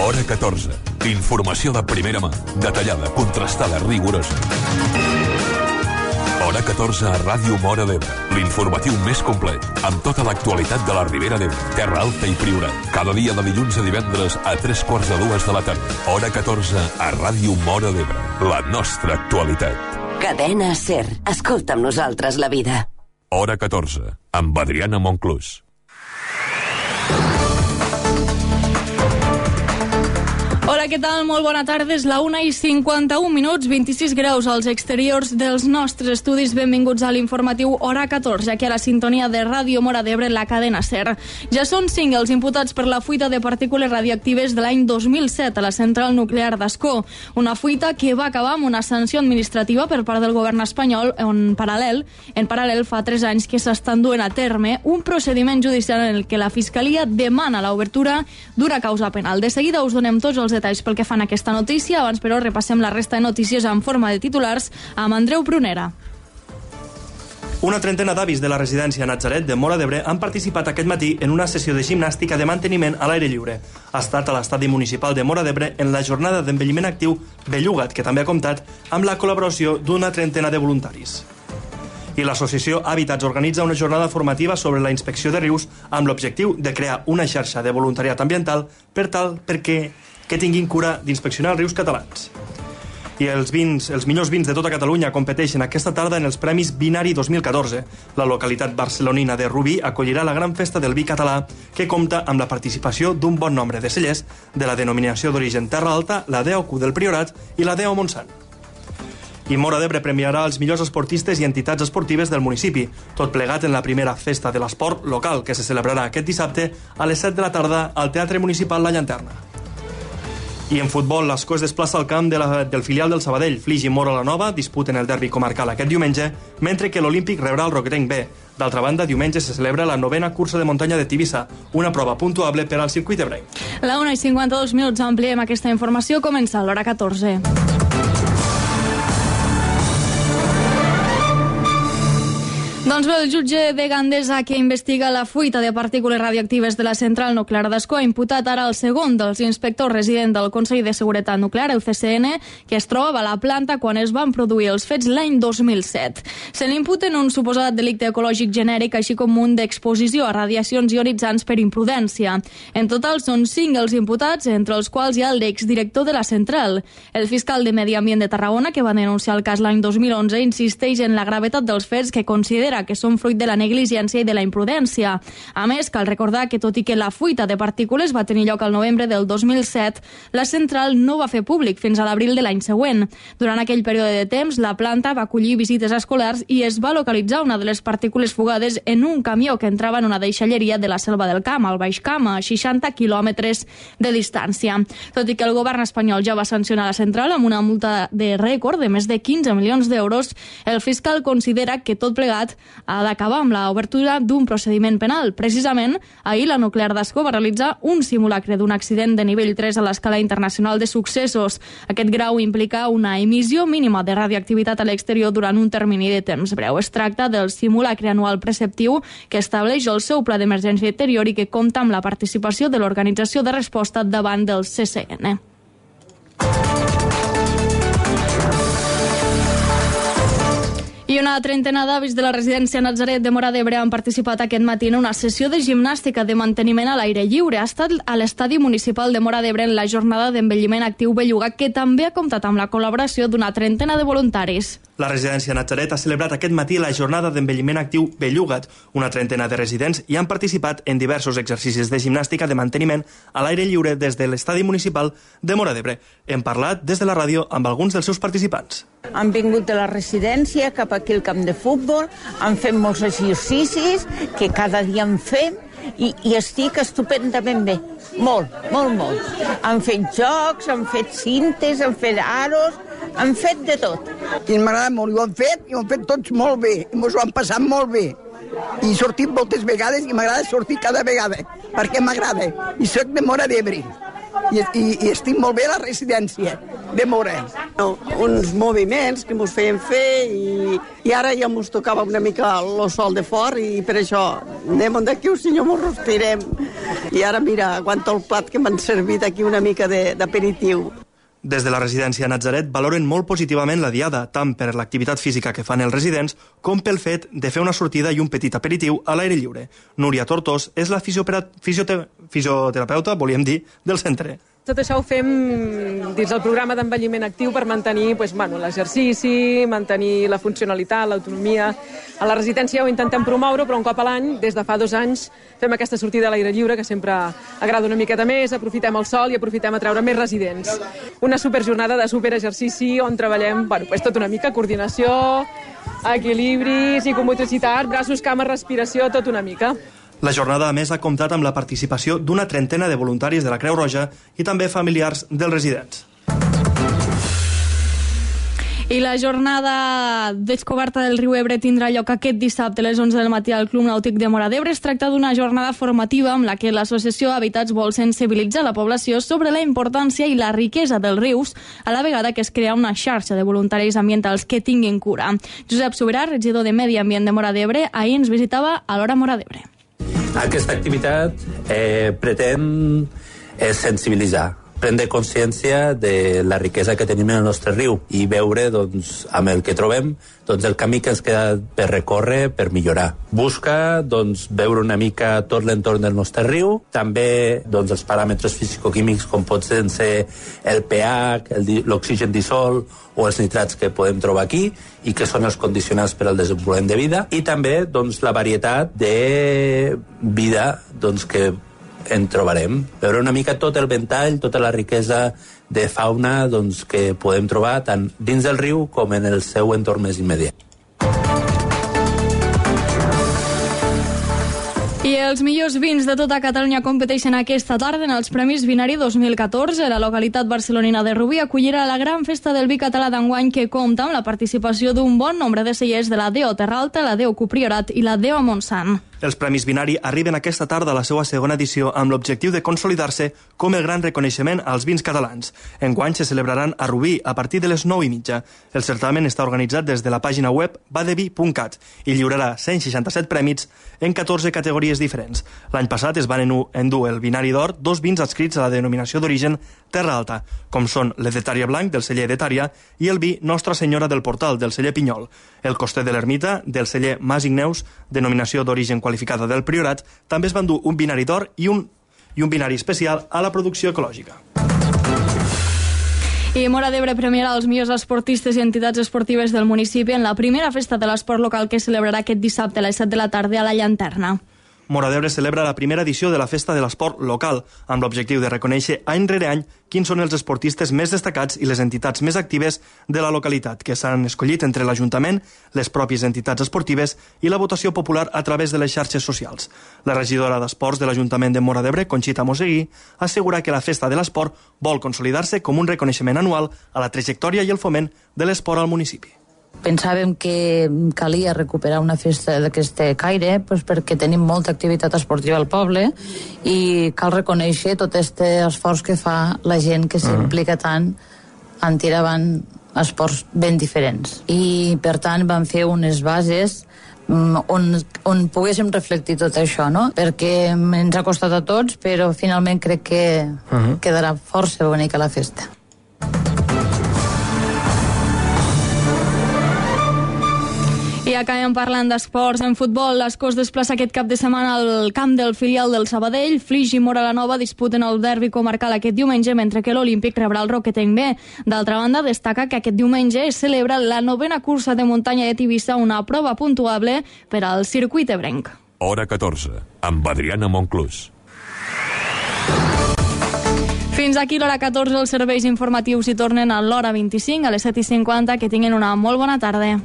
Hora 14. Informació de primera mà, detallada, contrastada, rigorosa. Hora 14 a Ràdio Móra d'Ebre, l'informatiu més complet, amb tota l'actualitat de la Ribera d'Ebre, Terra Alta i Priorat. Cada dia de dilluns a divendres a 3:45 de la tarda. Hora 14 a Ràdio Móra d'Ebre, la nostra actualitat. Cadena SER. Escolta amb nosaltres la vida. Hora 14, amb Adriana Monclús. Hola, què tal? Molt bona tarda. És la 1:51, 26 graus als exteriors dels nostres estudis. Benvinguts a l'informatiu Hora 14, aquí a la sintonia de Ràdio Móra d'Ebre, la cadena SER. Ja són 5 els imputats per la fuita de partícules radioactives de l'any 2007 a la central nuclear d'Ascó. Una fuita que va acabar amb una sanció administrativa per part del govern espanyol, en paral·lel fa 3 anys que s'estan duent a terme un procediment judicial en el que la Fiscalia demana l'obertura d'una causa penal. De seguida us donem tots els detalls pel que fan aquesta notícia. Abans, però, repassem la resta de notícies en forma de titulars amb Andreu Prunera. Una trentena d'avis de la residència Natzaret de Móra d'Ebre han participat aquest matí en una sessió de gimnàstica de manteniment a l'aire lliure. Ha estat a l'estadi municipal de Móra d'Ebre en la jornada d'envelliment actiu Bellugat, que també ha comptat amb la col·laboració d'una trentena de voluntaris. I l'associació Hàbitats organitza una jornada formativa sobre la inspecció de rius amb l'objectiu de crear una xarxa de voluntariat ambiental perquè tinguin cura d'inspeccionar els rius catalans. I els millors vins de tota Catalunya competeixen aquesta tarda en els Premis Vinari 2014. La localitat barcelonina de Rubí acollirà la gran festa del vi català, que compta amb la participació d'un bon nombre de cellers de la denominació d'origen Terra Alta, la DEOQ del Priorat i la DEO Montsant. I Móra d'Ebre premiarà els millors esportistes i entitats esportives del municipi, tot plegat en la primera festa de l'esport local, que se celebrarà aquest dissabte a les 7 de la tarda al Teatre Municipal La Llanterna. I en futbol, l'Ascó es desplaça al camp del filial del Sabadell. Flix i Móra la Nova disputen el derbi comarcal aquest diumenge, mentre que l'Olímpic rebrà el Roquetenc B. D'altra banda, diumenge se celebra la 9ª cursa de muntanya de Tivissa, una prova puntuable per al circuit ebrenc. La 1:52, ampliem aquesta informació. Comença l'Hora 14. Doncs bé, el jutge de Gandesa que investiga la fuita de partícules radioactives de la central nuclear d'Ascó ha imputat ara el segon dels inspectors resident del Consell de Seguretat Nuclear, el CSN, que es trobava a la planta quan es van produir els fets l'any 2007. Se n'imputen un suposat delicte ecològic genèric, així com un d'exposició a radiacions ionitzants per imprudència. En total són 5 els imputats, entre els quals hi ha l'exdirector de la central. El fiscal de Medi Ambient de Tarragona, que va denunciar el cas l'any 2011, insisteix en la gravetat dels fets, que considera que són fruit de la negligència i de la imprudència. A més, cal recordar que, tot i que la fuita de partícules va tenir lloc al novembre del 2007, la central no va fer públic fins a l'abril de l'any següent. Durant aquell període de temps, la planta va acollir visites escolars i es va localitzar una de les partícules fugades en un camió que entrava en una deixalleria de la Selva del Camp, al Baix Camp, a 60 quilòmetres de distància. Tot i que el govern espanyol ja va sancionar la central amb una multa de rècord de més de 15 milions d'euros, el fiscal considera que tot plegat ha d'acabar amb l'obertura d'un procediment penal. Precisament, ahir la nuclear d'Ascó va realitzar un simulacre d'un accident de nivell 3 a l'escala internacional de successos. Aquest grau implica una emissió mínima de radioactivitat a l'exterior durant un termini de temps breu. Es tracta del simulacre anual preceptiu que estableix el seu pla d'emergència interior i que compta amb la participació de l'Organització de Resposta davant del CSN. I una trentena d'avis de la residència Natzaret de Móra d'Ebre han participat aquest matí en una sessió de gimnàstica de manteniment a l'aire lliure. Ha estat a l'estadi municipal de Móra d'Ebre en la jornada d'envelliment actiu Bellugat, que també ha comptat amb la col·laboració d'una trentena de voluntaris. La residència Natzaret ha celebrat aquest matí la jornada d'envelliment actiu Bellugat. Una trentena de residents hi han participat en diversos exercicis de gimnàstica de manteniment a l'aire lliure des de l'estadi municipal de Móra d'Ebre. Hem parlat des de la ràdio amb alguns dels seus participants. Han vingut de la residència cap aquí al camp de futbol, han fet molts exercicis que cada dia en fem i estic estupendament bé. Molt. Han fet jocs, han fet cintes, han fet aros, han fet de tot. I m'agrada molt, i ho han fet tots molt bé, i ens ho han passat molt bé. I he sortit moltes vegades i m'agrada sortir cada vegada, perquè m'agrada. I soc de Móra d'Ebre. I estic molt bé a la residència de Mora. Uns moviments que ens feien fer i ara ja ens tocava una mica el sol de fort i per això anem d'aquí un senyor ens respirem. I ara mira, aguanta el plat que m'han servit aquí una mica d'aperitiu. Des de la residència Natzaret valoren molt positivament la diada, tant per l'activitat física que fan els residents com pel fet de fer una sortida i un petit aperitiu a l'aire lliure. Núria Tortós és la fisioterapeuta, volíem dir, del centre. Tot això ho fem dins del programa d'envelliment actiu per mantenir l'exercici, mantenir la funcionalitat, l'autonomia. A la residència ho intentem promoure, però un cop a l'any, des de fa 2 anys, fem aquesta sortida a l'aire lliure, que sempre agrada una miqueta més, aprofitem el sol i aprofitem a treure més residents. Una superjornada de superexercici on treballem tot una mica, coordinació, equilibri, psicomotricitat, braços, cames, respiració, tot una mica. La jornada, a més, ha comptat amb la participació d'una trentena de voluntaris de la Creu Roja i també familiars dels residents. I la jornada descoberta del riu Ebre tindrà lloc aquest dissabte a les 11 del matí al Club Nàutic de Móra d'Ebre. Es tracta d'una jornada formativa amb la que l'associació Habitats vol sensibilitzar la població sobre la importància i la riquesa dels rius, a la vegada que es crea una xarxa de voluntaris ambientals que tinguin cura. Josep Sobirà, regidor de Medi Ambient de Móra d'Ebre, ahir ens visitava a l'Hora Móra d'Ebre. Aquesta activitat pretén sensibilitzar, prendre consciència de la riquesa que tenim en el nostre riu i veure, amb el que trobem, el camí que ens queda per recórrer, per millorar. Busca, veure una mica tot l'entorn del nostre riu, també, els paràmetres fisicoquímics com pot ser el pH, l'oxigen dissolt o els nitrats que podem trobar aquí i que són els condicionants per al desenvolupament de vida, i també, la varietat de vida, que en trobarem. Veure una mica tot el ventall, tota la riquesa de fauna que podem trobar tant dins del riu com en el seu entorn més immediat. I els millors vins de tota Catalunya competeixen aquesta tarda en els Premis Vinari 2014. La localitat barcelonina de Rubí acollirà la gran festa del vi català d'enguany, que compta amb la participació d'un bon nombre de cellers de la DO Terra Alta, la DO Cupriorat i la DO Montsant. Els Premis Vinari arriben aquesta tarda a la seva segona edició amb l'objectiu de consolidar-se com el gran reconeixement als vins catalans. Enguany se celebraran a Rubí a partir de les 9:30. El certamen està organitzat des de la pàgina web badevi.cat i lliurarà 167 prèmits en 14 categories diferents. L'any passat es van endur el Vinari d'Or 2 vins adscrits a la denominació d'origen Terra Alta, com són l'Edetària Blanc del celler Edetària i el vi Nostra Senyora del Portal del celler Pinyol. El Coster de l'Ermita del celler Mas Igneus, denominació d'origen qualificada del Priorat, també es van dur un Vinari d'Or i un Vinari especial a la producció ecològica. I Móra d'Ebre premiarà els millors esportistes i entitats esportives del municipi en la primera festa de l'esport local que celebrarà aquest dissabte a les 7 de la tarda a la Llanterna. Móra d'Ebre celebra la primera edició de la Festa de l'Esport local, amb l'objectiu de reconèixer any rere any quins són els esportistes més destacats i les entitats més actives de la localitat, que s'han escollit entre l'Ajuntament, les pròpies entitats esportives i la votació popular a través de les xarxes socials. La regidora d'Esports de l'Ajuntament de Móra d'Ebre, Conxita Moseguí, assegura que la Festa de l'Esport vol consolidar-se com un reconeixement anual a la trajectòria i el foment de l'esport al municipi. Pensàvem que calia recuperar una festa d'aquest caire perquè tenim molta activitat esportiva al poble i cal reconèixer tot aquest esforç que fa la gent que s'implica tant en tirar avant esports ben diferents. I per tant vam fer unes bases on poguéssim reflectir tot això, no? Perquè ens ha costat a tots, però finalment crec que quedarà força bonica la festa. I acabem parlant d'esports. En futbol, l'Escó es desplaça aquest cap de setmana al camp del filial del Sabadell. Flix i Móra la Nova disputen el derbi comarcal aquest diumenge, mentre que l'Olímpic rebrà el Roquetenc B. D'altra banda, destaca que aquest diumenge es celebra la 9ª cursa de muntanya de Tivissa, una prova puntuable per al circuit ebrenc. Hora 14, amb Adriana Monclús. Fins aquí l'hora 14, els serveis informatius hi tornen a l'hora 25, a les 7:50. Que tinguin una molt bona tarda.